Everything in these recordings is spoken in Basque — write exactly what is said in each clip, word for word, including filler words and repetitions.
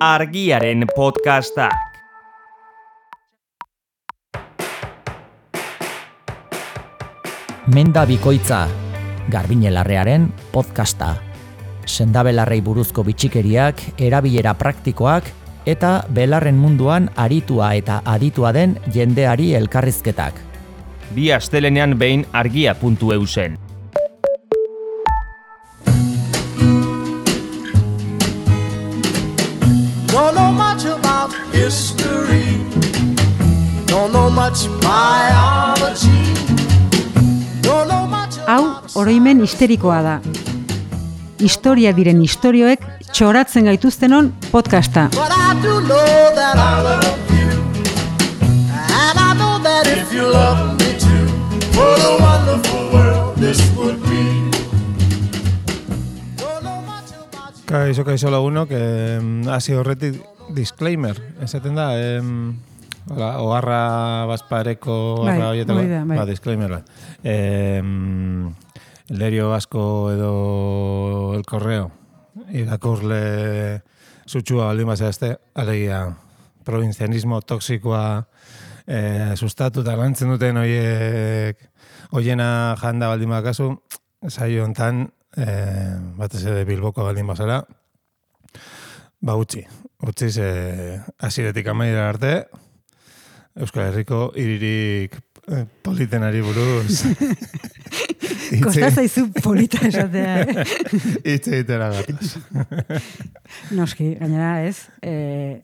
Argiaren podcastak. Menda bikoitza, Garbiñelarrearen podcasta. Sendabelarrei buruzko bitxikeriak, erabilera praktikoak eta belarren munduan aritua eta aditua den jendeari elkarrizketak. Bi astelenean behin argia puntu eu zen. Don't know much about history. Don't know much biology. Don't know much about... Hau, oroimen histerikoa da. Historia diren istorioek txoratzen gaituztenon podcasta. But I do know that I love you. And I know that if you love me too, what a wonderful world this would be. Don't know much about you. Kaixo, kaixo lagunok, eh, hasi horretik disclaimer, esaten da, eh, hola, oharra bazpareko Bai, oharra horietako, hori da, bai. ba, disclaimer bat. Eh, el diario vasco edo el correo, irakurle sutsua baldin bazazte, alegia provinzianismo toksikoa eh, sustatu eta lantzen duten horiek hoiena janda baldin bakazu, saio hontan, eh, batez ere Bilboko baldin bazara, ba utzi, utzi ze hasiretik amaierara arte, Euskal Herriko hiririk eh, politenari buruz Kosta zaizu polita esatea, eh? hitz egitera gatoz. Noski, gainera ez, eh,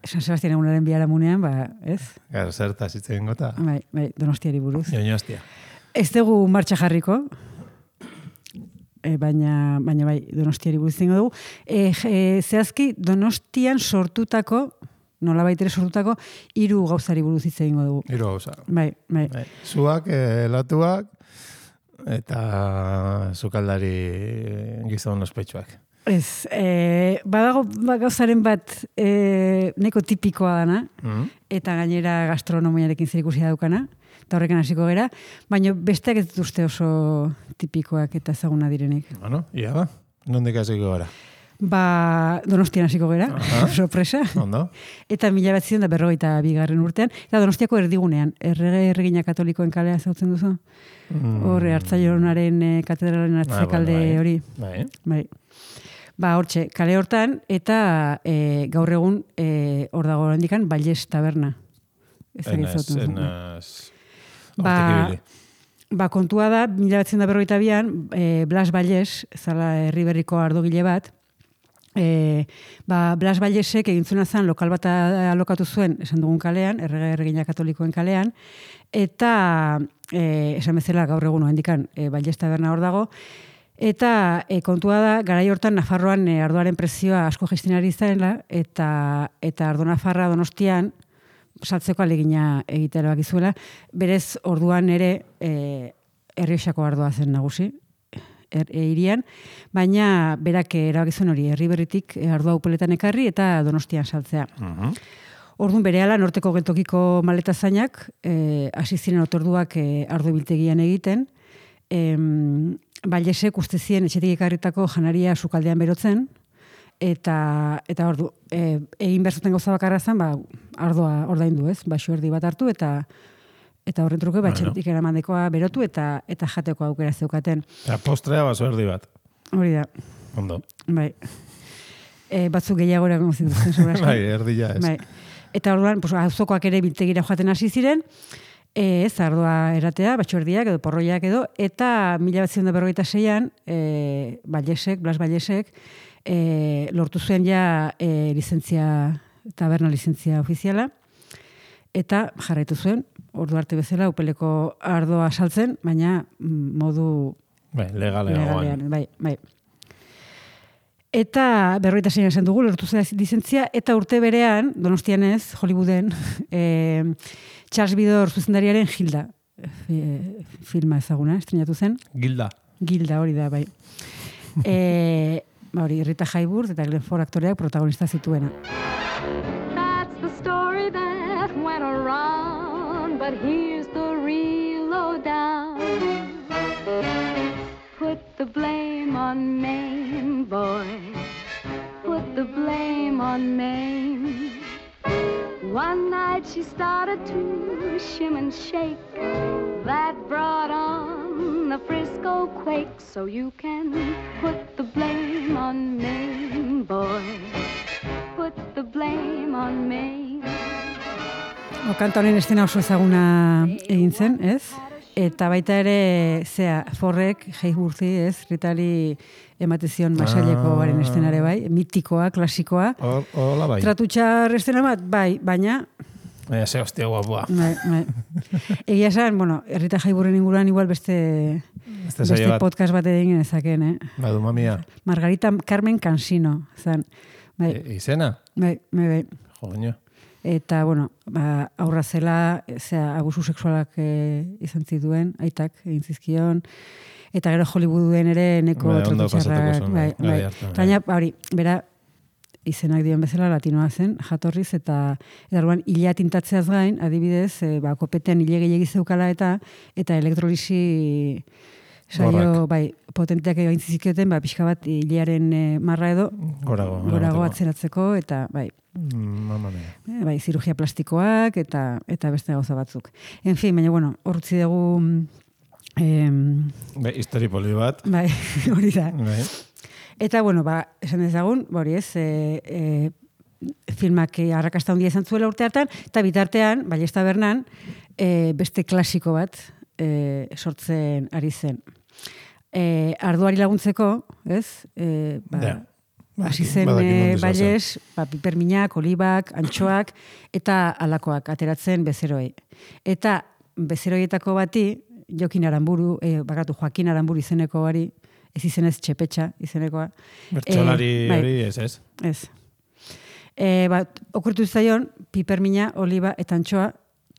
San Sebastian egunaren biharamunean, ba, ez? Gara, zertaz hitz egin gota. Bai, bai, Donostiari buruz. Donostia. Ez dugu martxa jarriko, e, baina, baina bai, Donostiari buruz zingo dugu. E, e, zehazki, Donostian sortutako, nola baitere sortutako, hiru gauzari buruz hitz egingo dugu. Hiru gauza. Bai, bai. Bai. Zuak, eh, latuak, eta sukaldari gizon ospetsuak. Ez, e, badago ba, gauzaren bat e, neko tipikoa dana, Mm. eta gainera gastronomiarekin zerikusia daukana, eta horrekin hasiko gera, baina besteak ez dituzte oso tipikoak eta ezaguna direnik. Bueno, ia ba, nondik hasiko gara. Ba, Donostian hasiko gera, Aha. sorpresa. Ondo? Eta mila bat zion da berrogeita bigarren urtean, eta Donostiako erdigunean, errege erregina katolikoen kalea zautzen duzu? Mm. Horre, Hartzailonaren eh, katedralen atzekalde Ah, bueno, bai. hori. Bai. Bai. Ba, hortxe, kale hortan, eta e, gaur egun e, hor dago handikan, Balles taberna. Ez dakit Enaz, zautzen duzu. enaz... Ba, hortik ibili. ba, kontua da, mila bat zion da berrogeita bian, e, Blas Balles, zala herri berriko ardogile bat, e, ba, Blas Ballesek egin zuena zen lokal bat alokatu zuen, esan dugun kalean, errege erregina katolikoen kalean, eta e, esan bezala gaur egun handikan e, Balles taberna hor dago, eta e, kontua da, garai hortan Nafarroan e, ardoaren prezioa asko jaisten ari zarela, eta, eta ardo Nafarra Donostian saltzeko alegina egitea erabaki zuela. Berez, orduan ere e, Errioxako ardoa zen nagusi, er, e, irian, baina berak erabaki zuen hori, Erriberritik e, ardoa upeletan ekarri eta Donostian saltzea. Mhm. Orduan berehala norteko geltokiko maletazainak eh, hasi ziren otorduak eh, ardo biltegian egiten. Em, Ballesek uste zien etxetik ekarritako janaria sukaldean berotzen, eta eta ordu e, egin behar zuten gauza bakarra zen, ba, ardoa ordaindu, ez? Baxo erdi bat hartu eta eta horren truke ba, Bueno. etxetik eramandekoa berotu eta eta jateko aukera zeukaten. Eta postrea baso erdi bat. Hori da, Ondo. bai. E, batzuk gehiago eragongo zituzten seguraski. Bai, erdila ez. Bai. Eta orduan, pues, auzokoak ere biltegira joaten hasi ziren, e, ez ardoa eratea, batxordiak edo porroiak edo, eta mila bat zion da berrogeita seian, e, Ballesek, Blas Ballesek, e, lortu zuen ja e, lizentzia, taberna lizentzia ofiziala, eta jarraitu zuen, ordu arte bezala, upeleko ardoa saltzen, baina mm, modu Bai, legalean. legalean, bai, bai. Eta berroita zein esan dugu, lortu zela lizentzia, eta urte berean, Donostian ez, Hollywooden, e, Charles Bidor zuzendariaren Gilda e, filma ezaguna, estrenatu zen. Gilda. Gilda hori da, bai. E, ba hori, Rita Hayworth eta Glenn Ford aktoreak protagonista zituena. That's the story that went around, but here's the real lowdown. Put the blame on Maine, boy. Put the blame on Maine. One night she started to shim and shake. That brought on the Frisco quake. So you can put the blame on Maine, boy. Put the blame on Maine. O, kanta honen estena oso ezaguna egin zen, ez? Eta baita ere, zea, Forrek, Heiburzi, ez? Ritari ematezion masaileko garen estenare bai, mitikoa, klasikoa. Hola bai. Tratutxar estena bat, bai, baina... Baina ze hostia guapua. Bai, bai. Egia esan, bueno, Rita Heiburren inguruan igual beste, Beste beste bat. podcast bat egin ezaken, eh? Badu mamia. Margarita Carmen Cansino, zan. Bai, E, izena? bai, bai, bai. Joño. Eta, bueno, ba, aurra zela, zera, abusu sexualak e, izan zituen, aitak egin zizkion, eta gero Hollywooden ere neko Bai, ondo tratutxarrak, pasatuko zuen, bai, bai, bai. hartan, bai. Baina, hori, bera, izenak dion bezala latinoa zen, jatorriz, eta eta orduan hilea tintatzeaz gain, adibidez, e, ba, kopetean hile gehiagi zeukala eta eta elektrolisi saio, Gorrak. bai, potenteak egin zizkioten, ba, pixka bat hilearen e, marra edo, Gorago. gorago eramateko. atzeratzeko, eta, bai, Mm, Mamma mia. Eh, bai, zirurgia plastikoak eta eta beste gauza batzuk. En fin, baina bueno, hor utzi dugu em, Be, histori poli bat. bai, hori da. Bai. Eta bueno, ba, esan dezagun, hori ez, e, e, filmak arrakasta handia izan zuela urte hartan, eta bitartean, bai, ez tabernan, e, beste klasiko bat e, sortzen ari zen. E, arduari laguntzeko, ez? E, ba, Ja. hasi zen Badakit e, nondik zoazen. baies, ba, piperminak, olibak, antxoak, eta alakoak ateratzen bezeroei. Eta bezeroietako bati, Jokin Aramburu, e, bakatu Joakin Aramburu izeneko bari, ez izenez Txepetxa izenekoa. Bertsolari Eh, bai. hori ez ez. Ez. E, ba, okurtu zaion, pipermina, oliba eta antxoa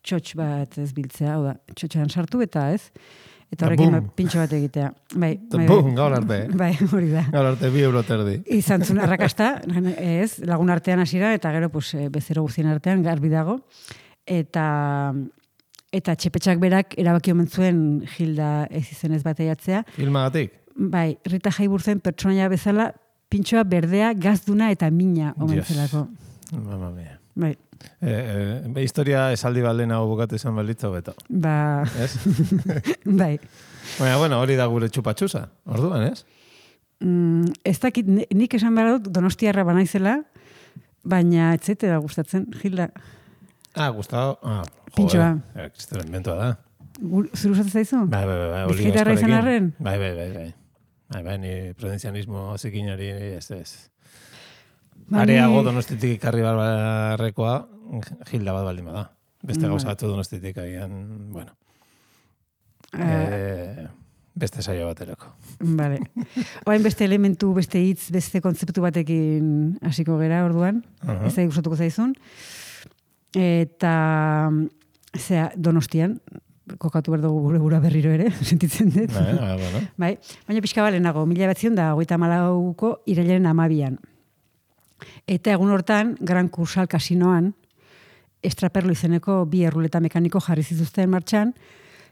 txotx bat ez biltzea, hau da, txotxean sartu eta ez, eta Da horrekin bum. ba, pintxo bat egitea. Bai, Da bai, bum, bai. gaur arte. Bai, hori da. Gaur arte bi euro terdi. Izan zuen arrakasta, ez, lagun artean hasiera eta gero pues, e, bezero guztien artean garbi dago. Eta eta Txepetxak berak erabaki omen zuen Hilda ez izenez bateiatzea. Filmagatik? Bai, Rita Hayworthen pertsonaia bezala pintxoa berdea, gazduna eta mina omen Dios. zelako. Mamma mia. Bai, E, e, be, historia esaldi balen hau bukatu izan balitza beto. ba, Ez? bai. Baina, bueno, hori da gure txupatxusa. Orduan, ez? Mm, ez dakit, ni- nik esan behar dut donostiarra banaizela, baina ez zaite da gustatzen, Hilda. Ah, Gustavo. Ah, Pintxoa. joder. Kristelen bentoa da. Gu- Zer gustatzen zaizu? Bai, bai, bai. bai, oli Bizkaitarra izan askorekin. arren? Bai, bai, bai, bai. Bai, bai, ni prudenzianismo zikinari ez ez. Ba, Areago ni- donostitik ikarri barrekoa, Hilda bat baldin bada. Beste Bai. gauza batzu donostitik agian, bueno. Eh, Eh, beste saio baterako. Vale. Oain beste elementu, beste hitz, beste kontzeptu batekin hasiko gera orduan. Aha. Ez da gustatuko zaizun. Eta, zera, Donostian, kokatu behar dugu gure gura berriro ere, sentitzen dut. Bai, bai, bueno. Bai, baina pixka balenago, mila batzion da, hogeita malauko irailaren amabian. Eta egun hortan, Gran Kursal kasinoan, Estraperlo izeneko bi erruleta mekaniko jarri zituzten martxan.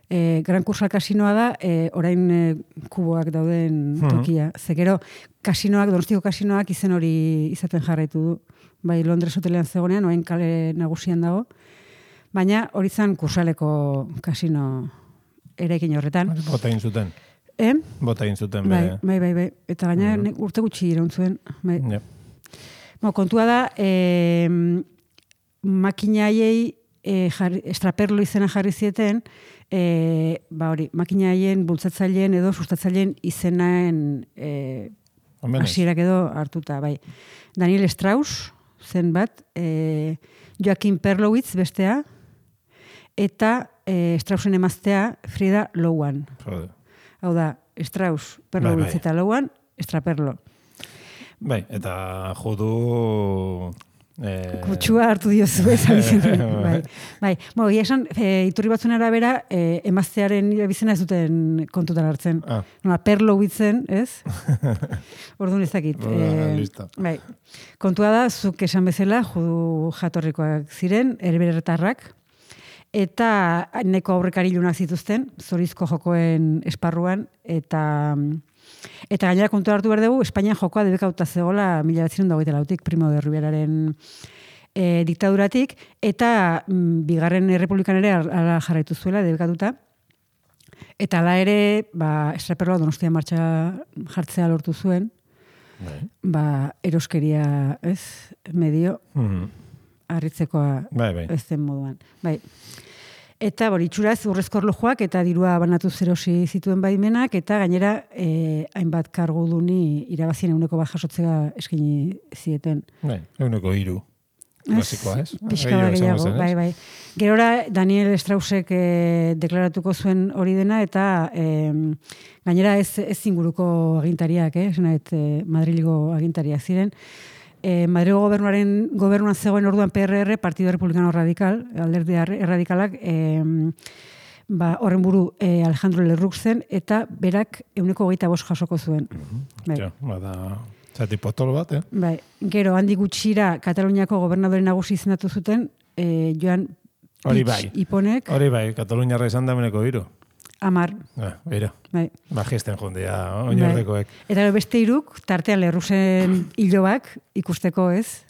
E, Gran Kursal kasinoa da, e, orain e, kuboak dauden tokia. Ze gero, kasinoak, Donostiko kasinoak izen hori izaten jarraitu du. Bai, Londres hotelean zegonean, orain kale nagusian dago. Baina hori zan Kursaleko kasino eraikin horretan. Bota egin zuten. Eh? Bota egin zuten. Bai, bere. bai, bai, bai. Eta gaina nek urte gutxi iraun zuen. Bai. Ja. Bueno, kontua da, e, makinaiei e, jarri, Estraperlo izena jarri zieten, e, ba hori, makinaien bultzatzaileen edo sustatzaileen izenaen e, Omenez. hasierak edo hartuta, bai. Daniel Strauss zen bat, e, Joaquin Perlowitz bestea, eta e, Straussen emaztea Frida Lowan. Jode. Hau da, Strauss, Perlowitz Bai, bai. eta Lowan, Estraperlo. Bai, eta judu... Eh, Kutsua hartu diozu, ez abizen. bai. Bai. Bo, egia esan, e, iturri batzuen arabera, e, emaztearen bizena ez duten kontutan hartzen. Ah. Nola, Perlowitzen, ez? Orduan ez dakit. Ah, listo. Bai. Kontua da, zuk esan bezala, judu jatorrikoak ziren, herberetarrak, eta neko aurrekari ilunak zituzten, zorizko jokoen esparruan, eta eta gainera kontu hartu behar dugu, Espainian jokoa debekauta zegoela mila bederatziehun eta hogeita lautik Primo de Riveraren e, diktaduratik, eta mm, bigarren errepublikan ere ala jarraitu zuela, debekatuta. Eta ala ere, ba, estraperloa Donostia martxa jartzea lortu zuen, Bai. ba, eroskeria, ez, medio, Mhm. harritzekoa Bai, bai. ez den moduan. Bai. Eta bori, itxuraz urrezko erlojuak eta dirua banatu zerosi zituen baimenak, eta gainera eh, hainbat karguduni irabazien eguneko bat jasotzea eskaini zieten. Bai, eguneko hiru. Klasikoa, ez? Pixka bat Gehiago gehiago, izango zen, ez? bai, bai. Gerora, Daniel Straussek eh, deklaratuko zuen hori dena, eta eh, gainera ez, ez inguruko agintariak, eh? Esanait, eh, Madrilgo agintariak ziren. Eh, Madrilgo gobernuaren gobernuan zegoen orduan P R R, Partido Republicano Radical, alderdi erradikalak, eh, ba, horren buru eh, Alejandro Lerroux zen, eta berak euneko hogeita bost jasoko zuen. Bai. Ja, bada, zati potolo bat, eh? Bai, gero handi gutxira Kataluniako gobernadore nagusi izendatu zuten, eh, Joan Hori Puig bai. Iponek, Hori bai, Kataluniarra izan da meneko hiru. amar. Ah, beira. Bai. Bajisten jondea, oinordekoek. Eta gero beste hiruk, tartean Lerrusen hilobak ikusteko, ez?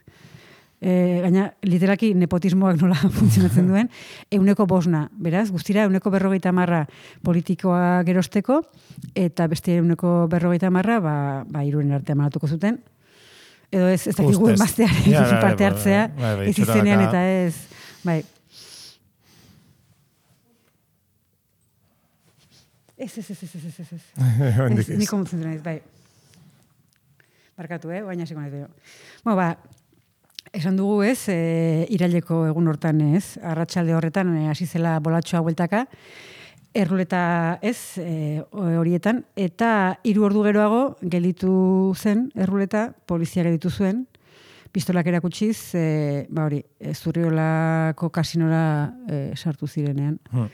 E, gaina, literalki nepotismoak nola funtzionatzen duen, euneko bosna, beraz, guztira euneko berrogeita marra politikoa gerosteko, eta beste euneko berrogeita marra, ba, ba iruren artean manatuko zuten. Edo ez, ez dakigu Ustez. emaztearen Ja, bai, parte bai, hartzea, bai, bai, ez izenean itxuraka. eta ez, bai. Ez, ez, ez, ez, ez, ez, ez. Hondik Ez, ez. Ni konfunditzen naiz, bai. Barkatu, eh? Baina hasiko naiz gero. Bueno, ba, esan dugu ez, e, iraileko egun hortan ez, arratsalde horretan e, hasi zela bolatxoa bueltaka, erruleta ez, e, horietan, eta hiru ordu geroago gelditu zen erruleta, polizia gelditu zuen, pistolak erakutsiz, e, ba hori, e, Zurriolako kasinora e, sartu zirenean. Hmm.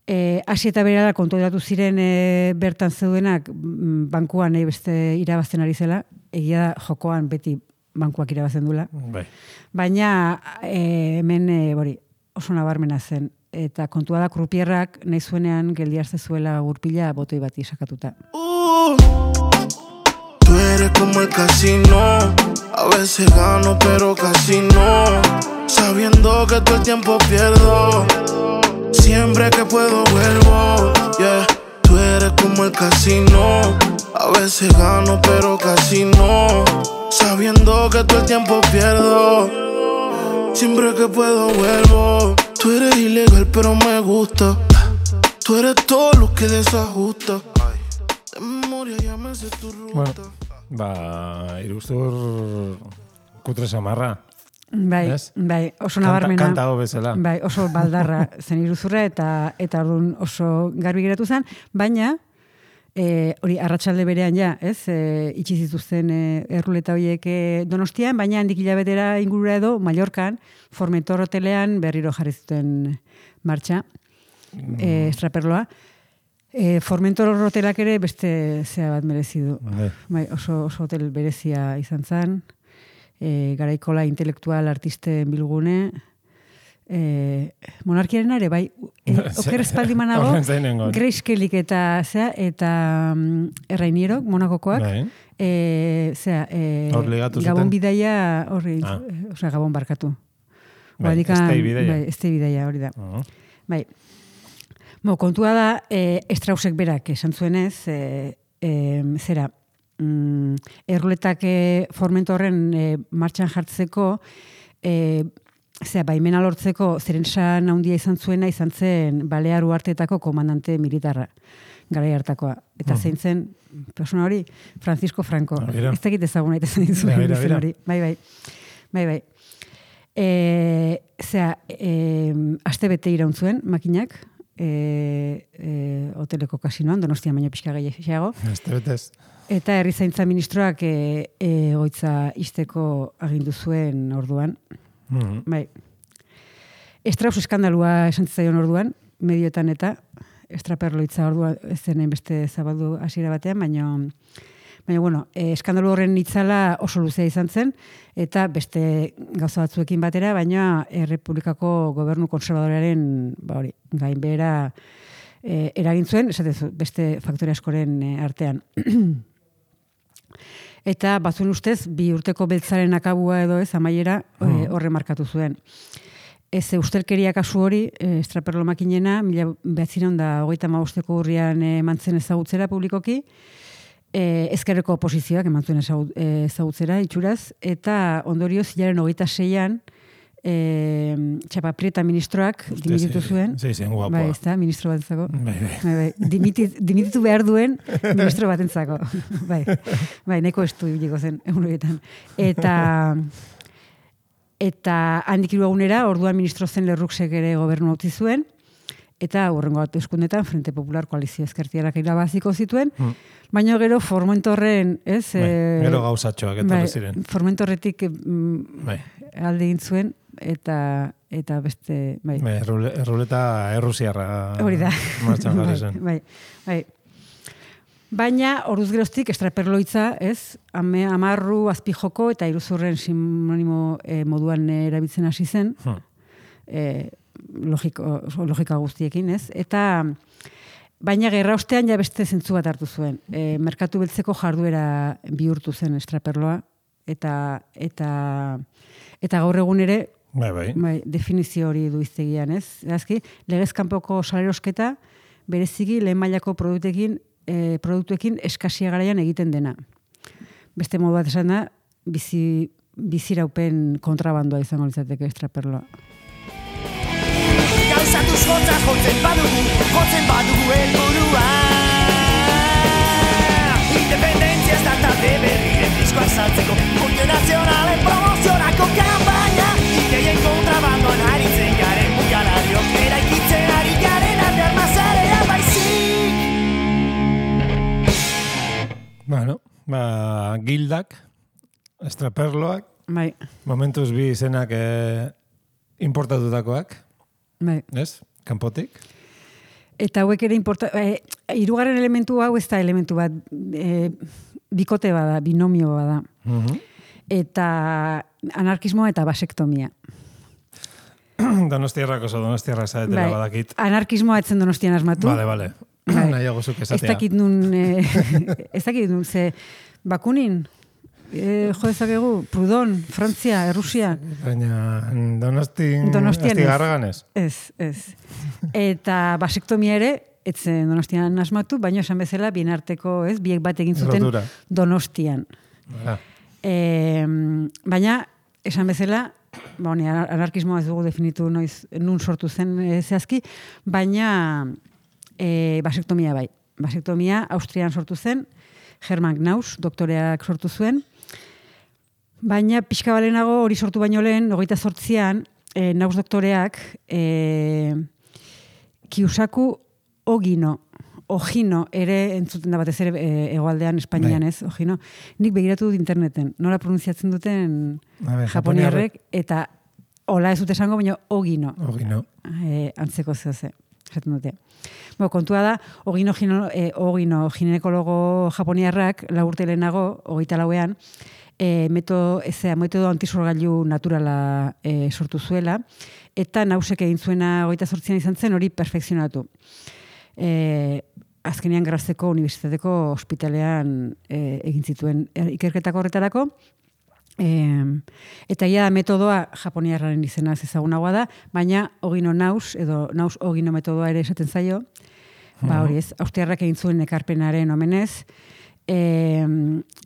E, hasi eta berara kontrolatu ziren e, bertan zeudenak mm, bankuan nahi beste irabazten ari zela, egia da jokoan beti bankuak irabazten duela. Bai. Baina e, hemen e, bori, oso nabarmena zen. Eta kontua da krupierrak nahi zuenean geldiazte zuela gurpila botoi bati sakatuta. Uh, tú eres como el casino, a veces gano pero casi no, sabiendo que todo el tiempo pierdo, siempre que puedo vuelvo, yeah. Tú eres como el casino, a veces gano pero casi no, sabiendo que todo el tiempo pierdo, siempre que puedo vuelvo. Tú eres ilegal pero me gusta, tú eres todo lo que desajusta. De memoria ya me sé tu ruta. Bueno, ba, iruztur kutre samarra. Bai, Ez? bai, oso Kanta, nabarmena. kanta hau bezala. Bai, oso baldarra zen iruzurra eta eta orduan oso garbi geratu zen, baina e, hori arratsalde berean ja, ez? E, itxi zituzten e, erruleta horiek e, Donostian, baina handik hilabetera ingurura edo Mallorcan, Formentor hotelean berriro jarri zuten martxa, e, estraperloa. E, Formentor hotelak ere beste zea bat merezi du. Bai. Bai, oso, oso hotel berezia izan zen, e, garaikola intelektual artisten bilgune, e, monarkiaren ere, bai, e, oker espaldimanago, Horren zainengon. Grace Kellyk eta, zea, eta um, Errainierok, Monakokoak, Bai. e, zea, e, Hor ligatu zuten? Gabon bidaia, horri, Ah. osea, Gabon barkatu. Bai, Guadikan- Stay bidaia. Bai, Stay bidaia, hori da. Uh, Bai. Bo, kontua da, e, Straussek berak esan zuenez, e, e, zera, mm, erruletak e, Formentorren e, martxan jartzeko, e, zera, baimena lortzeko zerensan handia izan zuena izan zen Balear uharteetako komandante militarra, garai hartakoa. Eta zein zen, persona hori, Francisco Franco. Ah, bera. Ez dakit ezaguna eta zen zuen Bera, bera, izen bera. hori. Bai, bai. Bai, bai. E, zera, e, aste bete iraun zuen makinak, e, e, hoteleko kasinoan, Donostian baino pixka gehiago, Este betez. eta herrizaintza ministroak e, e, goitza izteko agindu zuen orduan. Mhm. Bai. Strauss eskandalua esan zitzaion orduan, medioetan eta estraperloitza orduan ez zen beste zabaldu hasiera batean, baina baina bueno, e, eskandalu horren itzala oso luzea izan zen, eta beste gauza batzuekin batera, baina Errepublikako gobernu konservadorearen ba hori, gainbehera e, eragin zuen, esatezu, beste faktore askoren e, artean. eta batzuen ustez, bi urteko beltzaren akabua edo ez, amaiera hmm. horre markatu zuen. Ez ustelkeria kasu hori, e, estraperlo makinena, mila behatzireun da hogeita hamabosteko urrian emantzen ezagutzera publikoki, e, ezkerreko oposizioak emantzen ezagutzera itxuraz, eta ondorioz hilaren hogeita seian, e, Txapa Prieta ministroak dimititu zuen. Sí, sí, guapoa. Bai, ez da, ministro batentzako. Bai, bai. Bai, bai. Dimitit, dimititu behar duen ministro batentzako. Bai, bai, nahiko estu ibiliko zen, egun horietan. Eta... Eta handik hiru egunera, orduan ministro zen Lerruxek ere gobernu utzi zuen, eta hurrengo hauteskundetan Frente Popular koalizio ezkertiarrak irabaziko zituen, hmm. baina gero Formentorren, ez? Bai, e, gero gauzatxoak etorri bai, ziren. Formentorretik mm, bai. alde egin zuen, eta eta beste, bai. Bai, erruleta errusiarra. Hori da. Martxan jarri zen. Bai, bai. Baina, horuz geroztik, estraperloitza, ez, ame, amarru, azpijoko eta iruzurren sinonimo e, moduan erabiltzen hasi zen, hmm. e, logiko, logika guztiekin, ez, eta baina gerra ostean ja beste zentzu bat hartu zuen. E, merkatu beltzeko jarduera bihurtu zen estraperloa, eta eta eta gaur egun ere, bai, bai. Bai, definizio hori du iztegian, ez, azki, legez kanpoko salerosketa, bereziki lehen mailako produktekin E, produktuekin eskasia garaian egiten dena. Beste modu bat esan da, bizi, biziraupen kontrabandoa izango litzateke estraperloa. Gauzatuz jotza jotzen badugu, jotzen badugu helburua. Independentzia ez da talde berrien diskoak saltzeko, multinazionalen promoziorako kanpaina. Ideien kontrabandoan haritzen garen mugalariok, eraikitzen ari garen artean mazarea baizik. Bueno, ba, gildak, estraperloak, bai. Momentuz bi izenak eh, importatutakoak, bai. ez? Kanpotik. Eta hauek ere importa... Eh, hirugarren elementu hau ez da elementu bat, eh, bikote bada, binomio bada. Uh-huh. Eta anarkismoa eta basektomia. Donostiarrak oso donostiarrak zaetela bai. Badakit. Anarkismoa etzen Donostian asmatu. Vale, vale. Bai. Nahiago zuk esatea. Ez dakit nun, eh, ez dakit nun, ze Bakunin, eh, jo dezakegu, Prudon, Frantzia, Errusia. Baina Donostin, Donostian Astigarragan ez. Ez, ez. Eta basektomia ere, etzen Donostian asmatu, baina esan bezala, bien arteko, ez, biek bat egin zuten Rotura. Donostian. Ah. E, baina, esan bezala, ba, honi, anarkismoa ez dugu definitu noiz, nun sortu zen e, zehazki, baina e, basektomia bai. Basektomia Austrian sortu zen, Hermann Knaus, doktoreak sortu zuen, baina pixka balenago hori sortu baino lehen, hogeita zortzian, e, Knaus doktoreak e, Kiusaku Ogino, Ogino, ere entzuten da batez ere e, egoaldean Espainian ez, Ogino. Nik begiratu dut interneten, nola pronunziatzen duten ver, japoniarrek, eta hola ez dut esango, baina Ogino. Ogino. E, antzeko zehose, esaten dute. Bo, kontua da, Ogino, gino, e, Ogino ginekologo japoniarrak, laurte lehenago, hogeita lauean, e, meto, ezea, metodo antisorgailu naturala e, sortu zuela, eta Nausek egin zuena hogeita zortzian izan zen, hori perfekzionatu. E, azkenean Grazeko Unibertsitateko ospitalean e, egin zituen ikerketako horretarako, e, eta ja metodoa japoniarraren izena ezagunagoa da, baina Ogino Naus, edo Naus Ogino metodoa ere esaten zaio, ba hori ez, austriarrak egin zuen ekarpenaren omenez, e,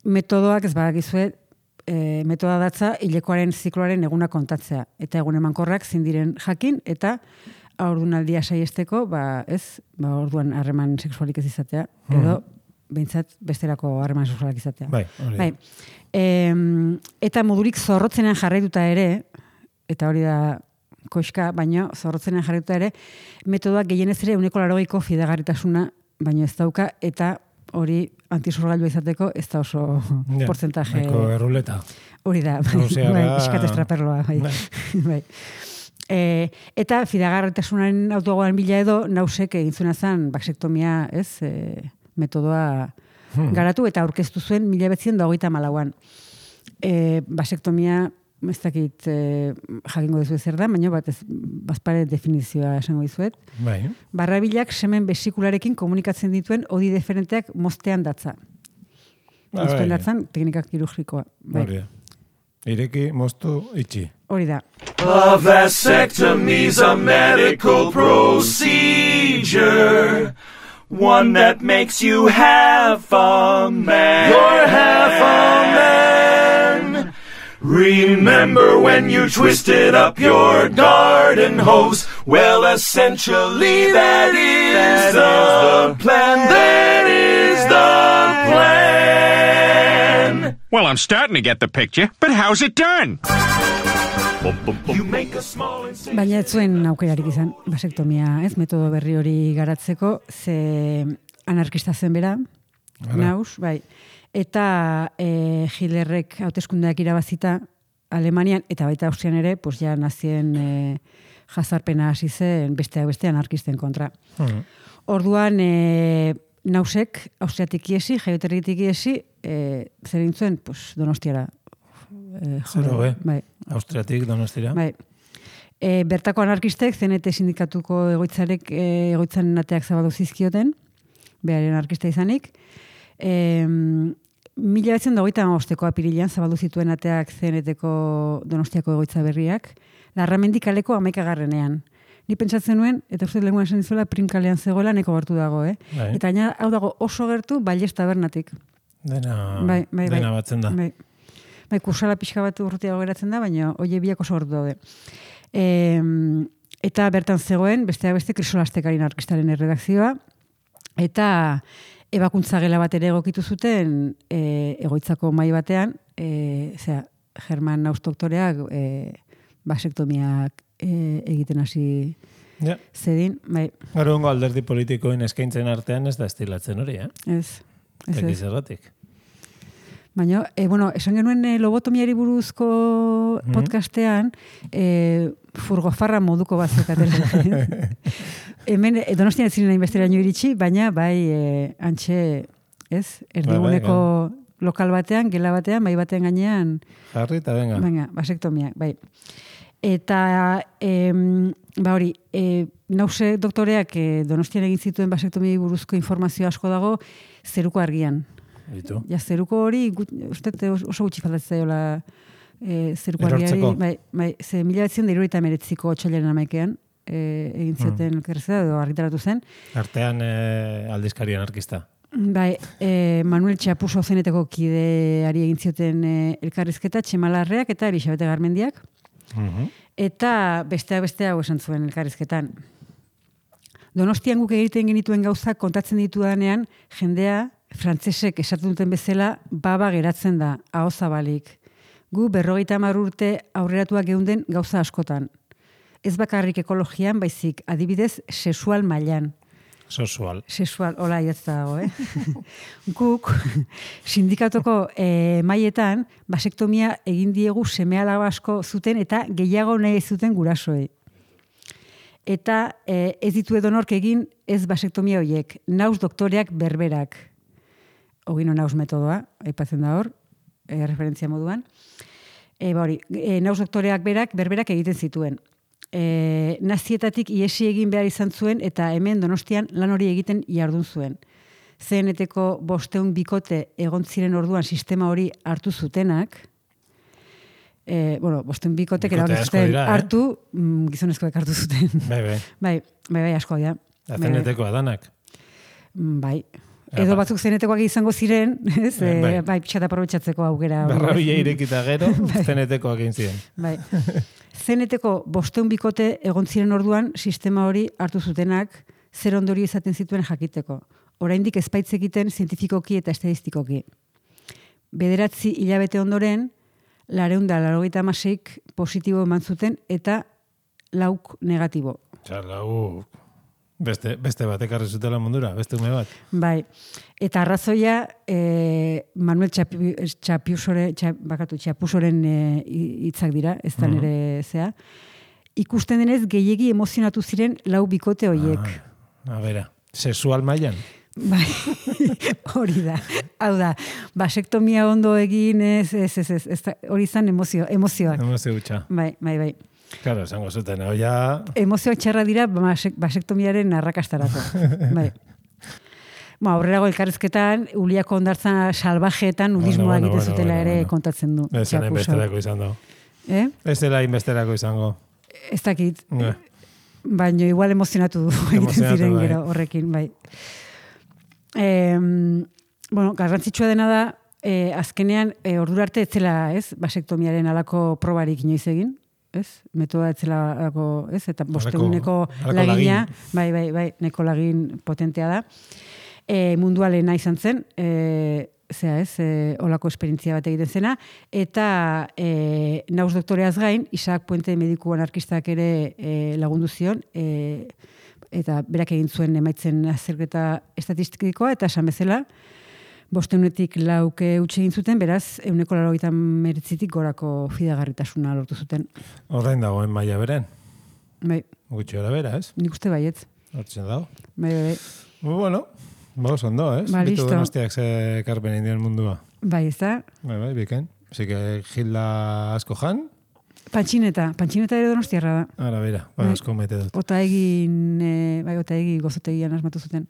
metodoak ez badakizuet, e, metoda datza hilekoaren zikloaren eguna kontatzea, eta egun emankorrak zindiren jakin, eta haurdunaldia saiesteko, ba, ez, ba, orduan harreman sexualik ez izatea, edo, behintzat, besterako harreman sexualak izatea. Bai, hori. Bai. E, eta modurik zorrotzenean jarraituta ere, eta hori da koiska, baina zorrotzenean jarraituta ere, metodoak gehienez ere uneko larogeiko fidagarritasuna, baina ez dauka, eta hori antisorgailua izateko ez da oso ja, porcentaje. Eko erruleta. Hori da, bai, bai, iskat estraperloa. Bai. Bai. bai. E, eta fidagarritasunaren autogoan bila edo, Nausek egin zuena zen basektomia, ez, e, metodoa hmm. garatu, eta aurkeztu zuen mila bezion da hogeita malauan. E, basektomia, ez dakit e, jakingo dezu zer da, baina bat ez, bazpare definizioa esango dizuet. Bai. Barrabilak semen besikularekin komunikatzen dituen odi deferenteak moztean datza. Ba, uzten bai. datzan, teknika kirurgikoa. Bai. Hori da. Ireki, moztu, itxi. Hori da. A vasectomy's a medical procedure, one that makes you half a man. You're half a man. Remember when you twisted up your garden hose? Well, essentially that is the plan. That is the plan. Well, I'm starting to get the picture, but how's it done? You make a small incision. Baina ez zuen aukerarik izan, basektomia, ez, metodo berri hori garatzeko, ze anarkista zen bera, naus, bai. Eta e, Hitlerrek hauteskundeak irabazita Alemanian, eta baita Austrian ere, pues ja nazien e, jazarpena hasi zen besteak beste anarkisten kontra. Hmm. Orduan, e, nausek, Austriatik iesi, jaioterritik iesi, e, zer egin zuen, pues, Donostiara. E, Zero, be? Bai. Austriatik, Donostira. Bai. E, bertako anarkistek, C N T sindikatuko egoitzarek, e, egoitzan ateak zabaldu zizkioten, beharen anarkista izanik. E, mila betzen dagoita amabosteko apirilean zabaldu zituen ateak C N Tko Donostiako egoitza berriak, Larramendi kaleko hamaikagarrenean. Ni pentsatzen nuen, eta uste lehenguan esan dizuela, Prim kalean zegoela neko gertu dago, eh? Bai. Eta gaina, hau dago oso gertu, Bailez tabernatik. Dena, Bai, bai, bai. dena batzen da. Bai, bai kursala pixka bat urrutiago geratzen da, baina oie biak oso gertu daude. E, eta bertan zegoen, besteak beste, Krisolastekari anarkistaren erredakzioa, eta ebakuntza gela bat ere egokitu zuten e, egoitzako mai batean, e, zera, German Naus doktoreak e, basektomiak e, egiten hasi Ja. zedin, bai, Gaur egungo alderdi politikoen eskaintzen artean ez da estilatzen hori, eh? ez. Ez, Ekiz ez. erratik. Baina, e, bueno, esan genuen e, lobotomiari buruzko Mhm. podcastean, e, furgofarra moduko bat zekatela. Hemen, e, Donostian ez ziren hainbesteraino iritsi, baina bai e, antxe, ez? Erdiguneko lokal batean, gela batean, bai batean gainean, Jarri eta venga. baina, basektomia, bai. Eta, em, ba hori, e, nause doktoreak e, Donostian egin zituen basektomi buruzko informazio asko dago zeruko argian. Ditu. Ja, zeruko hori, gut, uste oso gutxi faltatzen zaiola e, zeruko argiari. Erortzeko. Bai, bai, ze mila betzen da irurogeita hemeretziko otsailaren hamaikean e, egin zioten elkarrezea, edo argitaratu zen. Artean eh, aldizkari anarkista. Bai, e, Manuel Txapuso zeneteko kideari egin zioten e, elkarrizketa, Txemalarreak eta Elisabete Garmendiak. Mhm. Eta besteak bestea hau esan zuen elkarrizketan. Donostian guk egiten genituen gauzak kontatzen ditudanean, jendea, frantsesek esaten duten bezala, baba geratzen da, aho zabalik. Gu berrogeita hamar urte aurreratuak geunden gauza askotan. Ez bakarrik ekologian, baizik, adibidez, sexual mailan. Sosual. Sexual, hola idatzta dago, eh? Guk, sindikatoko eh, maietan, basektomia egin diegu seme-alaba asko zuten eta gehiago nahi zuten gurasoei. Eta eh, ez ditu edonork egin ez basektomia horiek, naus doktoreak berberak. Ogino naus metodoa, aipatzen da hor, eh, referentzia moduan. E, ba hori, e, naus doktoreak berak, berberak egiten zituen. E, nazietatik iesi egin behar izan zuen eta hemen Donostian lan hori egiten jardun zuen. C N Tko bosteun bikote egon ziren orduan sistema hori hartu zutenak, e, bueno, bosteun bikotek Bikote erabaki asko zuten dira, eh? hartu, mm, gizonezkoek hartu zuten. Bai, bai. bai, bai, bai, asko dira. Bai, bai. Azeneteko adanak. Mm, Bai. Ja, Edo ba. batzuk zenetekoak izango ziren, ez? Eh, bai. E, bai, pixata aprobetxatzeko aukera. hori. Barrabila irekita gero, zenetekoak egin ziren. Bai. C N Tko bosteun bikote egon ziren orduan sistema hori hartu zutenak zer ondorio izaten zituen jakiteko. Oraindik ezpaitz egiten zientifikoki eta estadistikoki. Bederatzi hilabete ondoren, lareun da laurogeita hamaseik positibo eman zuten eta lauk negatibo. Osea, lau beste, beste bat ekarri zutela mundura, beste ume bat. Bai. Eta arrazoia e, Manuel Txapi- Txapiusore, txap, bakatu, Txapusoren e, hitzak dira, ez da Mhm. nire zea. Ikusten denez gehiegi emozionatu ziren lau bikote hoiek. Ah, a bera, sexual mailan. Bai, hori da. Hau da, basektomia ondo egin, ez, ez, ez, ez, ez da- hori izan emozio, emozioak. Emozio gutxa. Bai, bai, bai. Claro, esango zuten, hau ja... Emozioak txarra dira basek, basektomiaren arrakastarako. Bai. Ba, aurrerago elkarrizketan, Uliako hondartza salvajeetan nudismoa Bueno, bueno, egiten zutela bueno, ere bueno. kontatzen du. Ez dela Txakusa. inbesterako izango. Eh? Ez dela inbesterako izango. Ez dakit. Ne. Baina igual emozionatu egiten Emozionatu, ziren bai. gero horrekin, bai. E, bueno, garrantzitsua dena da, e, azkenean, e, ordura arte etzela, ez, basektomiaren alako probarik inoiz egin, ez? Metoda etzela alako, ez? Eta bosteuneko halako lagina, lagin. bai, bai, bai, neko lagin potentea da. E, mundua lehena izan zen, e, zera ez, e, olako esperientzia bat egiten zena, eta e, nauz doktoreaz gain, Isaac Puente mediku anarkistak ere e, lagundu zion, e, eta berak egin zuen emaitzen azterketa estatistikoa, eta esan bezala, bosteunetik lauke utxe egin zuten, beraz, euneko laurogeita meretzitik gorako fidagarritasuna lortu zuten. Horrein dagoen maila beren. Bai, Gutxi hora bera, ez? nik uste baietz. Hortzen dago. Bai, bai, bai. Bueno, ba, oso ondo, ez? Ba, Bitu listo. donostiak ze karpen indien mundua. Bai, ez da? Bai, bai, biken. Así que Gilda asko jan, Pantxineta, pantxineta ere donostiarra da. ara bera, ba, Bai. asko mete dut. Ota egin, e, bai, ota egi gozotegian asmatu zuten.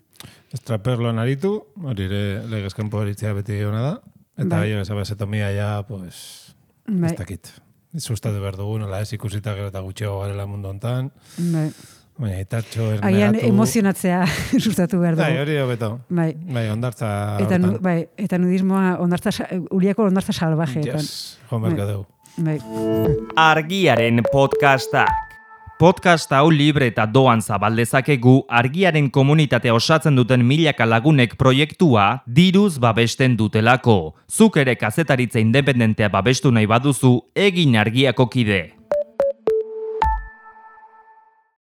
Estraperloan aritu, hori ere legezkenpo horitzea beti ona da, eta Bai. bai. esa basetomia ja, pues, Bai, ez dakit. Sustatu behar dugu, nola ez ikusita gero eta gutxego garela mundu hontan, bai. baina itartxo Agian ernegatu. emozionatzea sustatu behar Bai, dugu. hori hobeto. Bai. Bai, ondartza Eta, nu, hortan. bai, eta nudismoa, ondartza, sa- Uliako ondartza salvajeetan. Yes, joan beharko dugu. Bai. Argiaren podcastak. Podcast hau libre eta doan zabaldezakegu argiaren komunitatea osatzen duten milaka lagunek proiektua diruz babesten dutelako. Zuk ere kazetaritza independentea babestu nahi baduzu, egin argiako kide.